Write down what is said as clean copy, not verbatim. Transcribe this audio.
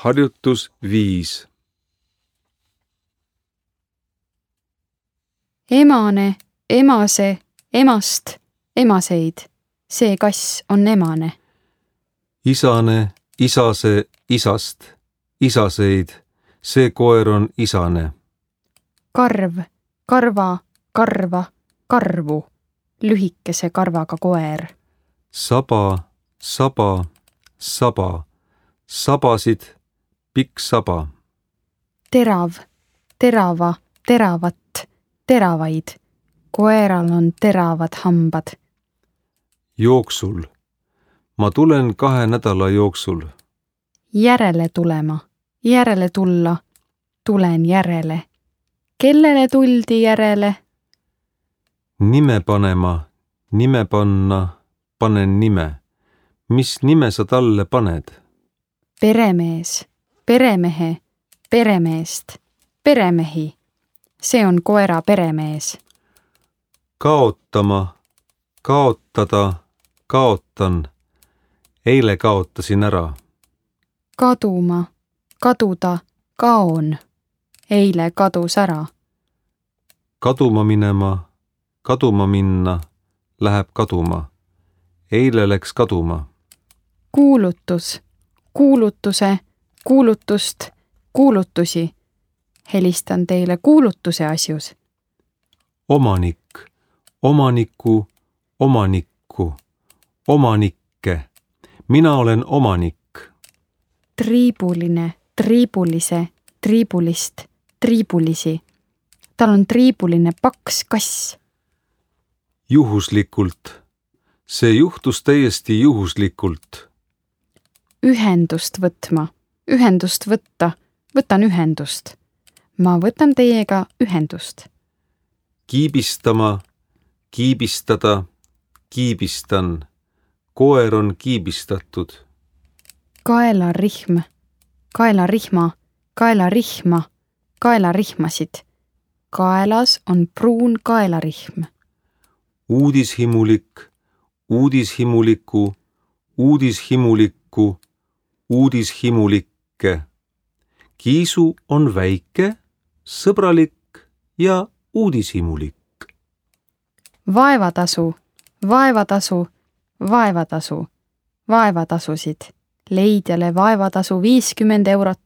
Harjutus 5. Emane, emase, emast, emaseid. See kass on emane. Isane, isase, isast, isaseid. See koer on isane. Karv, karva, karva, karvu. Lühikese karvaga koer. Saba, saba, saba. Sabasid, pikk saba. Terav, terava, teravat, teravaid. Koeral on teravad hambad. Jooksul. Ma tulen 2 nädala jooksul. Järele tulema, järele tulla. Tulen järele. Kellele tuldi järele? Nime panema, nime panna, panen nime. Mis nime sa talle paned? Peremees, peremehe, peremeest, peremehi. See on koera peremees. Kaotama, kaotada, kaotan. Eile kaotasin ära. Kaduma, kaduda, kaon. Eile kadus ära. Kaduma minema, kaduma minna, läheb kaduma. Eile läks kaduma. Kuulutus, kuulutuse, kuulutust, kuulutusi. Helistan teile kuulutuse asjus. Omanik, omaniku, omanikku, omanikke. Mina olen omanik. Triibuline, triibulise, triibulist, triibulisi. Tal on triibuline paks kass. Juhuslikult. See juhtus täiesti juhuslikult. Ühendust võtma, ühendust võtta, võtan ühendust. Ma võtan teiega ühendust. Kiibistama, kiibistada, kiibistan. Koer on kiibistatud. Kaelarihm, kaelarihma, kaelarihma, kaelarihmasid. Kaelas on pruun kaelarihm. Uudishimulik, uudishimuliku, uudishimulikku, uudishimulikke. Kiisu on väike, sõbralik ja uudishimulik. Vaevatasu, vaevatasu, vaevatasu, vaevatasusid. Leidjale vaevatasu 50 eurot.